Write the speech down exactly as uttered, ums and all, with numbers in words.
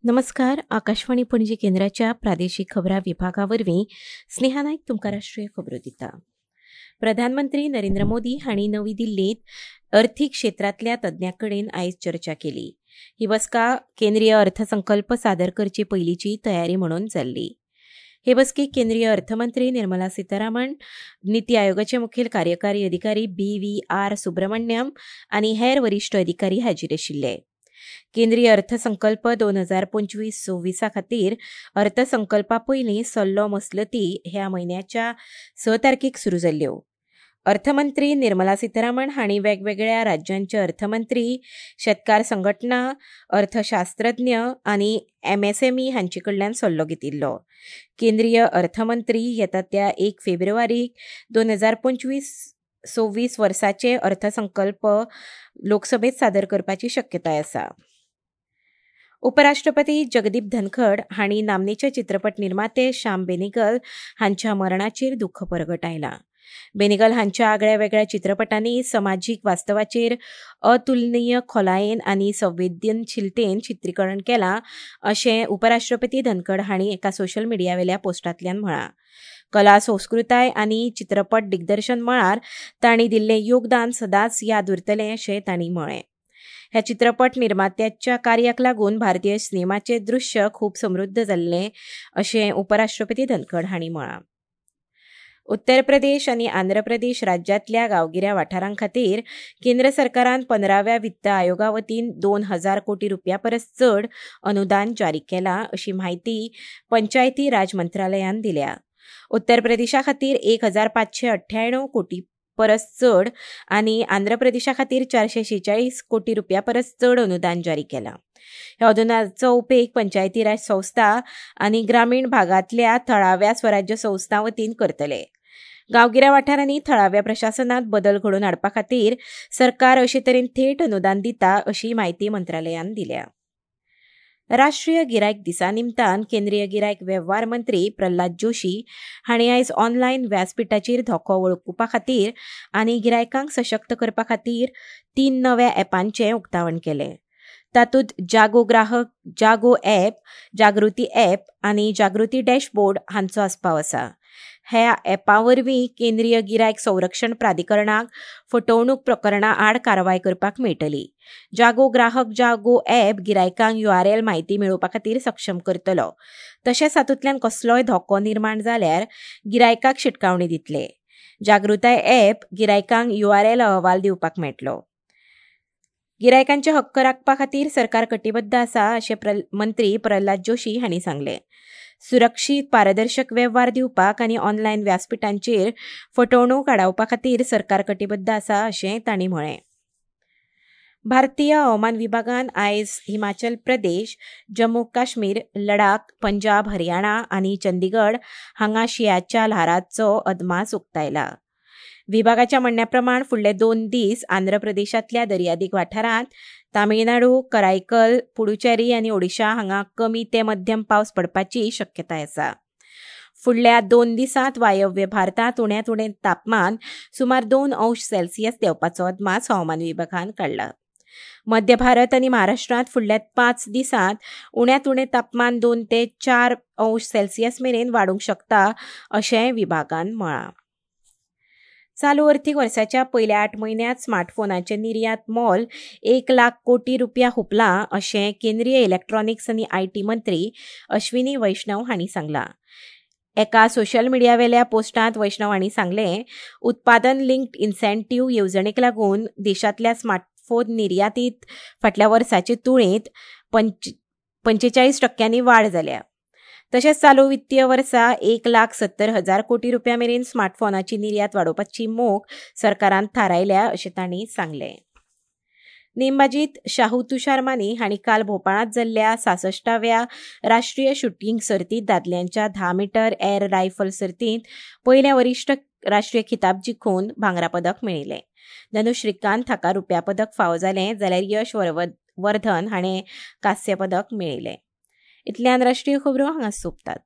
नमस्कार, आकाशवाणी पणजी केंद्राच्या प्रादेशीक खबरां विभागा वरवीं स्नेहा नायक तुमकां राष्ट्रीय खबरो दिता. प्रधानमंत्री नरेंद्र मोदी हांणी नवी दिल्लींत अर्थीक क्षेत्रांतल्या तज्ञां कडेन आयज चर्चा केली. ही बसका केंद्रीय अर्थसंकल्प सादर करचे पयलींची तयारी म्हणून जाल्ली. हे बसकेक केंद्रीय अर्थमंत्री निर्मला सीतारामन, निती आयोगाचे मुखेल कार्यकारी अधिकारी बी व्ही आर सुब्रमण्यम आनी हेर वरिश्ठ अधिकारी हाजीर आशिल्ले. केंद्रीय अर्थसंकल्प दोन हजार पंचवीस सव्वीसा खातीर अर्थसंकल्पा पयलीं सल्लो मसलती ह्या म्हयन्याच्या स तारखेक सुरू जाल्ल्यो. अर्थमंत्री निर्मला सीतारामन हांणी वेगवेगळ्या राज्यांचे अर्थमंत्री, शेतकार संघटना, अर्थशास्त्रज्ञ आनी एमएसएमई हांचे कडल्यान सल्लो घेतिल्लो. केंद्रीय अर्थमंत्री येता त्या एक फेब्रुवारीक दोन हजार पंचवीस सव्वीस वर्साचे अर्थसंकल्प लोकसभेत सादर करपाची शक्यताय आसा. उपराष्ट्रपती जगदीप धनखड हांणी नामनेचे चित्रपट निर्माते श्याम बेनेगल हांच्या मरणाचेर दुख्ख परगटायलां. बेनेगल हांच्या आगळ्या वेगळ्या चित्रपटांनी समाजीक वास्तवाचेर अतुलनीय खोलायेन आनी संवेदनशीलतेन चित्रीकरण केलां अशें उपराष्ट्रपती धनखड हांणी एका सोशल मिडियावेल्या पोस्टांतल्यान म्हळां. कला, संस्कृताय आनी चित्रपट दिग्दर्शन मळार तांणी दिल्लें योगदान सदांच याद उरतलें अशें तांणी म्हळें. ह्या चित्रपट निर्मात्याच्या कार्याक लागून भारतीय सिनेमाचें दृश्य खूब समृद्ध जाल्लें अशें उपराष्ट्रपती धनखड हांणी म्हळां. उत्तर प्रदेश आनी आंध्र प्रदेश राज्यांतल्या गांवगिऱ्या वाठारां खातीर केंद्र सरकारान पंदराव्या वित्त आयोगा वतीन दोन हजार कोटी रुपया परस चड अनुदान जारी केलां अशी म्हायती पंचायती राज मंत्रालयान दिल्या. उत्तर प्रदेशा खातीर एक हजार पांचशे अठ्ठ्याण्णव कोटी परस चड आनी आंध्र प्रदेशा खातीर चारशे शेचाळीस कोटी रुपया परस चड अनुदान जारी केलां. ह्या अनुदानाचो उपेग पंचायती राज संस्था आनी ग्रामीण भागांतल्या थळाव्या स्वराज्य संस्थां वतीन करतले. गांवगिऱ्या वाठारांनी थळाव्या प्रशासनांत बदल घडोवन हाडपा खातीर सरकार अशे तरेन थेट अनुदान दिता अशी म्हायती मंत्रालयान दिल्या. राष्ट्रीय गिरायक दिसा निमतान केंद्रीय गिरायक वेव्हार मंत्री प्रल्हाद जोशी हांणी आयज ऑनलायन व्यासपीठाचेर धोको वळखुपा खातीर आनी गिरायकांक सशक्त करपा खातीर तीन नव्या ॲपांचें उक्तावण केलें. तातूंत जागो ग्राहक, जागो ॲप, जागृती ॲप आनी जागृती डॅशबोर्ड हांचो आस्पाव आसा. ह्या ॲपा वरवीं केंद्रीय गिरायक संरक्षण प्राधिकरणाक फटवणूक प्रकरणां आड कारवाय करपाक मेळटली. जागो ग्राहक, जागो ॲप गिरायकांक you R L म्हायती मेळोवपा खातीर सक्षम करतलो. तशेंच तातूंतल्यान कसलोय धोको निर्माण जाल्यार गिरायकाक शिटकावणी दितले. जागृताय ॲप गिरायकांक you R L अहवाल दिवपाक मेळटलो. गिरायकांचे हक्क राखपा खातीर सरकार कटिबद्ध आसा अशें मंत्री प्रल्हाद जोशी हांणी सांगलें. सुरक्षीत, पारदर्शक वेव्हार दिवपाक आनी ऑनलायन व्यासपीठांचेर फटवणूक आडावपा खातीर सरकार कटिबद्ध आसा अशें तांणी म्हळें. भारतीय हवामान विभागान आयज हिमाचल प्रदेश, जम्मू काश्मीर, लडाख, पंजाब, हरियाणा आनी चंदीगड हांगा शिंयाच्या ल्हाराचो अदमास उक्तायला. विभागाच्या म्हणण्या प्रमाण फुडले दोन दीस आंध्र प्रदेशांतल्या दर्यादिग वाठारांत, तामिळनाडू, करायकल, पुडुचेरी आनी ओडिशा हांगा कमी ते मध्यम पावस पडपाची शक्यताय आसा. फुडल्या दोन दिसांत वायव्य भारतांत उण्यांत उणें तापमान सुमार दोन अंश सेल्सियस देंवपाचो अदमास हवामान विभागान काडला. मध्य भारत आनी महाराष्ट्रांत फुडल्या पांच दिसांत उण्यांत उणें तापमान दोन ते चार अंश सेल्सियस मेरेन वाडूंक शकता अशें विभागान म्हळां. चालू अर्थीक वर्साच्या पयल्या आठ म्हयन्यांत स्मार्टफोनाचें निर्यात मोल एक लाख कोटी रुपया हुपलां अशें केंद्रीय इलेक्ट्रॉनिक्स आनी I T मंत्री अश्विनी वैष्णव हांणी सांगलां. एका सोशल मिडियावेल्या पोस्टांत वैष्णव हांणी सांगलें, उत्पादन लिंक्ड इन्सेंटीव्ह येवजणेक लागून देशांतल्या स्मार्टफोन निर्यातीत फाटल्या वर्साचे तुळेंत पंच पंचेचाळीस टक्क्यांनी वाड जाल्या. तशेंच चालू वित्तीय वर्सा एक लाख सत्तर हजार कोटी रुपया मेरेन स्मार्टफोनाची निर्यात वाडोवपाची मोख सरकारान थारायल्या अशें तांणी सांगलें. नेमबाजीत शाहू तुषार माने हांणी काल भोपाळांत जाल्ल्या सासश्टाव्या राष्ट्रीय शुटींग सर्तींत दादल्यांच्या धा मिटर एअर रायफल सर्तींत पयलें वरिश्ठ राष्ट्रीय खिताब जिखून भांगरा पदक मेळयलें. धनुष श्रीकांत हाका रुप्या पदक फावो जालें जाल्यार यश वर्धन हाणें कांस्य पदक मेळयलें. इतल्यान राष्ट्रीय खबरो हांगा सोंपतात.